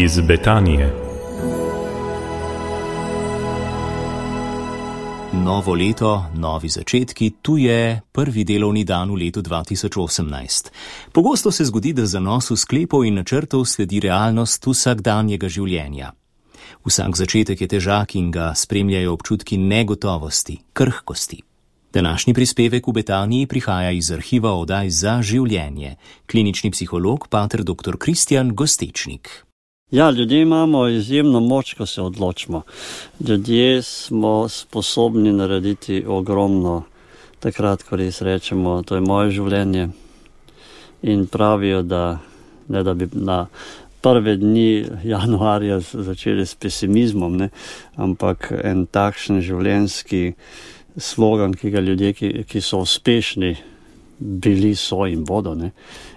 Iz Betanije. Novo leto, novi začetki, tu je prvi delovni dan v letu 2018. Pogosto se zgodi, da zanosu sklepov in načrtov sledi realnost vsakdanjega življenja. Vsak začetek je težak in ga spremljajo občutki negotovosti, krhkosti. Današnji prispevek v Betaniji prihaja iz arhiva oddaj Za življenje. Klinični psiholog pater dr. Kristjan Gostečnik. Ja, ljudje imamo izjemno moč, ko se odločimo. Ljudje smo sposobni narediti ogromno, takrat, ko res rečemo, to je moje življenje. In pravijo, da ne da bi na prve dni januarja začeli s pesimizmom, ne, ampak en takšen življenjski slogan, ki ga ljudje, ki so uspešni, bili so in bodo, ne,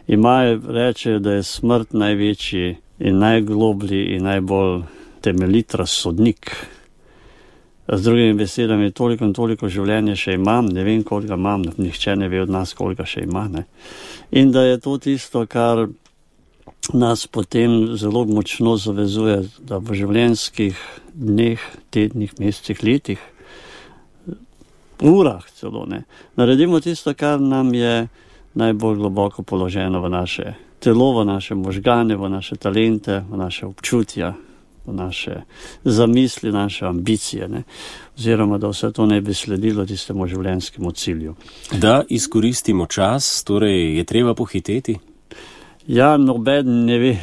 imajo, rečejo, da je smrt največji in najgloblji in najbolj temeljit razsodnik. Z drugimi besedami, toliko in toliko življenja še imam, ne vem, koliko imam, nihče ne ve od nas, koliko še ima. Ne? In da je to tisto, kar nas potem zelo močno zavezuje, da v življenjskih dneh, tednih, mesecih, letih, urah celo, ne, naredimo tisto, kar nam je najbolj globoko položeno v naše telo, v naše možgane, v naše talente, v naše občutja, v naše zamisli, naše ambicije, ne? Oziroma, da vse to ne bi sledilo tistemu življenjskemu cilju. Da izkoristimo čas, torej je treba pohiteti? Ja, noben ne ve.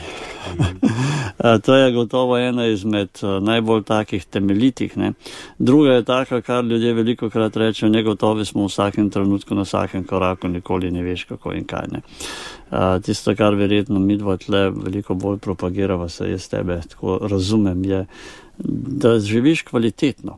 To je gotovo ena izmed najbolj takih temeljitih. Ne? Druga je taka, kar ljudje veliko krat rečejo, negotovi smo v vsakem trenutku, na vsakem koraku, nikoli ne veš kako in kaj. Ne? Tisto, kar verjetno midva tle veliko bolj propagirava, se jaz tebe tako razumem, je, da živiš kvalitetno.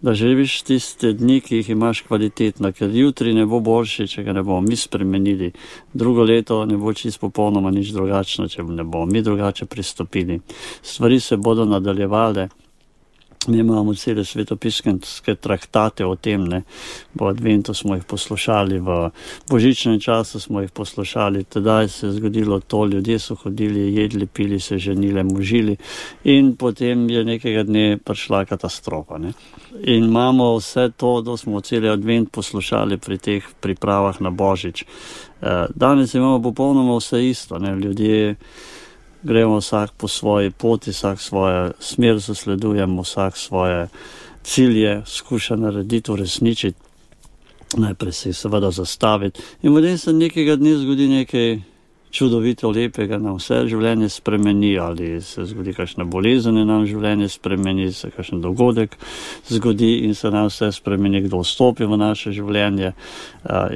Da živiš tiste dni, ki jih imaš kvalitetno, ker jutri ne bo boljši, če ga ne bomo mi spremenili. Drugo leto ne bo čisto popolnoma nič drugačno, če ne bomo mi drugače pristopili. Stvari se bodo nadaljevale. Mi imamo cele svetopisanske traktate o tem, ne. V adventu smo jih poslušali, v božičnem času smo jih poslušali, tedaj se je zgodilo to, ljudje so hodili, jedli, pili, se ženili, možili in potem je nekega dne prišla katastrofa. Ne. In imamo vse to, da smo celi advent poslušali pri teh pripravah na božič. Danes imamo popolnoma vse isto, ne. Ljudje gremo vsak po svoji poti, vsak svojo smer zasledujemo, vsak svoje cilje skuša narediti, uresničiti, najprej se jih seveda zastaviti. In potem se nekega dne zgodi nekaj čudovito lepega, nam vse življenje spremeni, ali se zgodi kakšna bolezen, nam življenje spremeni, se kakšen dogodek zgodi in se nam vse spremeni, kdo vstopi v naše življenje.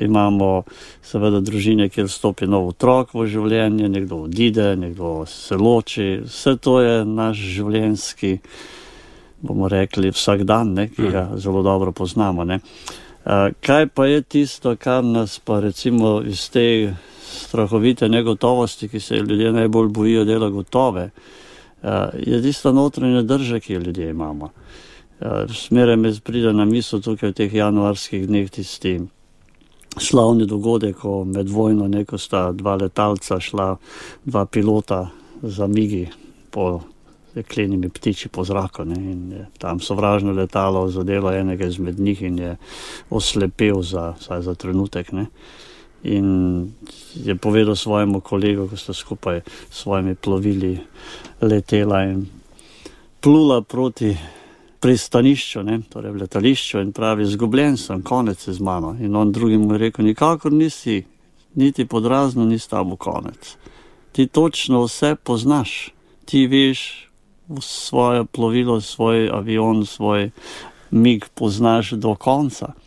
Imamo seveda družine, kjer vstopi nov otrok v življenje, nekdo odide, nekdo se loči. Vse to je naš življenjski, bomo rekli, vsak dan, ne, ki ga zelo dobro poznamo. Ne. Kaj pa je tisto, kar nas pa recimo iz te strahovite negotovosti, ki se ljudje najbolj bojijo dela gotove, je tista notranja drža, ki jo ljudje imamo. Smeraj me pride na misel tukaj v teh januarskih dneh tisti slavni dogodek, ko med vojno neko sta dva letalca šla, dva pilota za migi po jeklenimi ptiči po zraku, ne, in je tam sovražno letalo zadelo enega izmed njih in je oslepel vsaj za trenutek, ne. In je povedal svojemu kolegu, ko sta skupaj s svojimi plovili letela in plula proti pristanišču, ne, torej v letališču, in pravi, izgubljen sem, konec je z mano. In on drugim mu je rekel, nikakor nisi, niti podrazno ni s tabo konec. Ti točno vse poznaš, ti veš svoje plovilo, svoj avion, svoj mig poznaš do konca.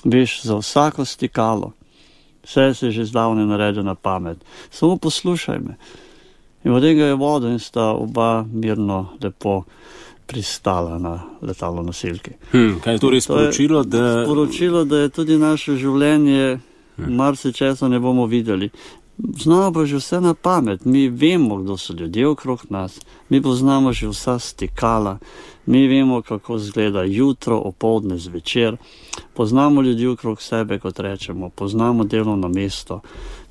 Veš za vsako stikalo, vse se že zdavne naredil na pamet. Samo poslušaj me. In potem ga je vodil in sta oba mirno, lepo pristala na letalo nosilki. Kaj je torej sporočilo? Sporočilo, da je tudi naše življenje, marsičesa ne bomo videli. znamo pa že vse na pamet. Mi vemo, kdo so ljudje okrog nas, mi poznamo že vsa stikala, mi vemo, kako izgleda jutro, opoldne, zvečer, poznamo ljudi okrog sebe, kot rečemo, poznamo delovno mesto.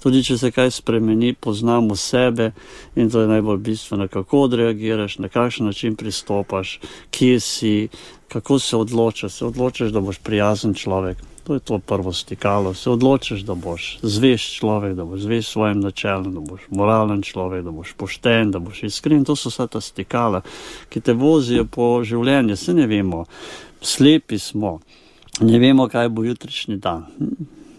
Tudi če se kaj spremeni, poznamo sebe in to je najbolj bistveno, kako odreagiraš, na kakšen način pristopaš, kje si, kako se odločaš. Se odločaš, da boš prijazen človek. To je to prvo stikalo. Se odločaš, da boš zvest človek, da boš zvest svojim načelom, da boš moralen človek, da boš pošten, da boš iskren. To so vsa ta stikala, ki te vozijo po življenju. Se ne vemo, slepi smo, ne vemo, kaj bo jutrišnji dan.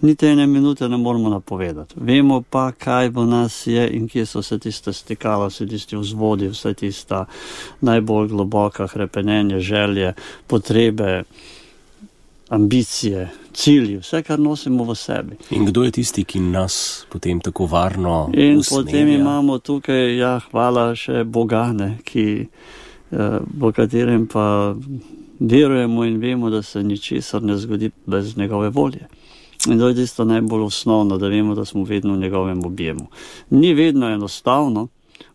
Niti ene minute ne moramo napovedati. Vemo pa, kaj v nas je in kje so vse tiste stikala, vse tisti vzvodi, vse tista najbolj globoka hrepenenje, želje, potrebe, ambicije, cilji, vse, kar nosimo v sebi. In kdo je tisti, ki nas potem tako varno usmerja? In potem imamo tukaj, hvala še Boga, v katerem pa verujemo in vemo, da se ničesar ne zgodi bez njegove volje. In to je tisto najbolj osnovno, da vemo, da smo vedno v njegovem objemu. Ni vedno enostavno,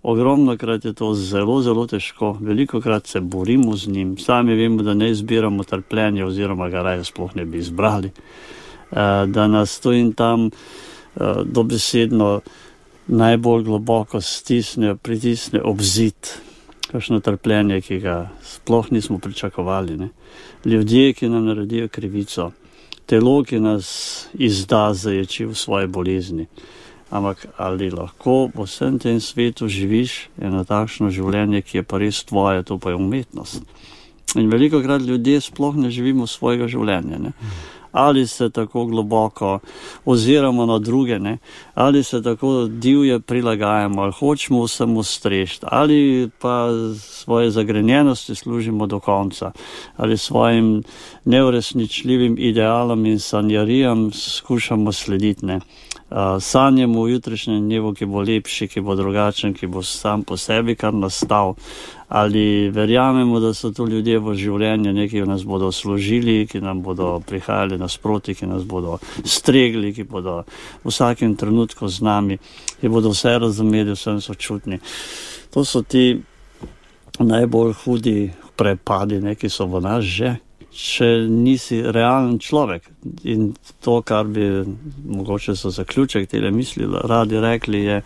ogromno krat je to zelo, zelo težko, veliko krat se borimo z njim, sami vemo, da ne izbiramo trpljenja oziroma ga raje sploh ne bi izbrali, da nas tu in tam dobesedno najbolj globoko pritisne ob zid, kakšno trpljenje, ki ga sploh nismo pričakovali, ne? Ljudje, ki nam naredijo krivico, telo, ki nas izda, zaječi v svoje bolezni. Ampak ali lahko v vsem tem svetu živiš eno takšno življenje, ki je pa res tvoje, to pa je umetnost. In velikokrat ljudje sploh ne živimo svojega življenja, ne? Ali se tako globoko oziramo na druge, ne? Ali se tako divje prilagajamo, ali hočemo vsem ustrešiti, ali pa svoje zagrenjenosti služimo do konca, ali svojim neuresničljivim idealom in sanjarijam skušamo slediti, ne? Sanjamo v jutrišnjem dnevu, ki bo lepši, ki bo drugačen, ki bo sam po sebi kar nastal, ali verjamemo, da so to ljudje v življenju, neki nas bodo služili, ki nam bodo prihajali nasproti, ki nas bodo stregli, ki bodo v vsakem trenutku z nami, ki bodo vse razumeli, vsem sočutni. To so ti najbolj hudi prepadi, ki so v nas že, če nisi realen človek. In to, kar bi mogoče so zaključek tele misli radi rekli, je,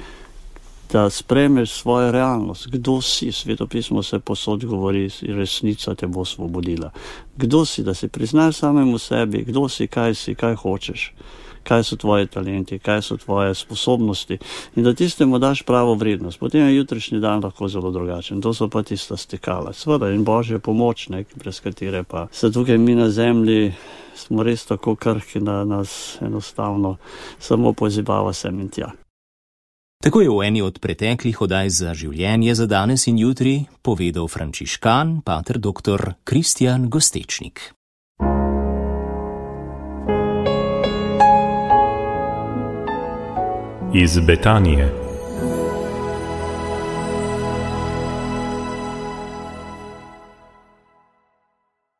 da spremeš svojo realnost. Kdo si? Svetopismo se posod govori, resnica te bo osvobodila. Kdo si? Da si priznaš samemu sebi, kdo si, kaj hočeš, kaj so tvoji talenti, kaj so tvoje sposobnosti in da tistemu daš pravo vrednost. Potem je jutrišnji dan lahko zelo drugačen. To so pa tista stikala. Sveda in Božja pomoč, brez katere pa se tukaj mi na zemlji smo res tako krhki, da nas enostavno samo pozibava sem in tja. Tako je v eni od preteklih oddaj za življenje za danes in jutri povedal frančiškan, pater dr. Kristjan Gostečnik. Iz Betanije.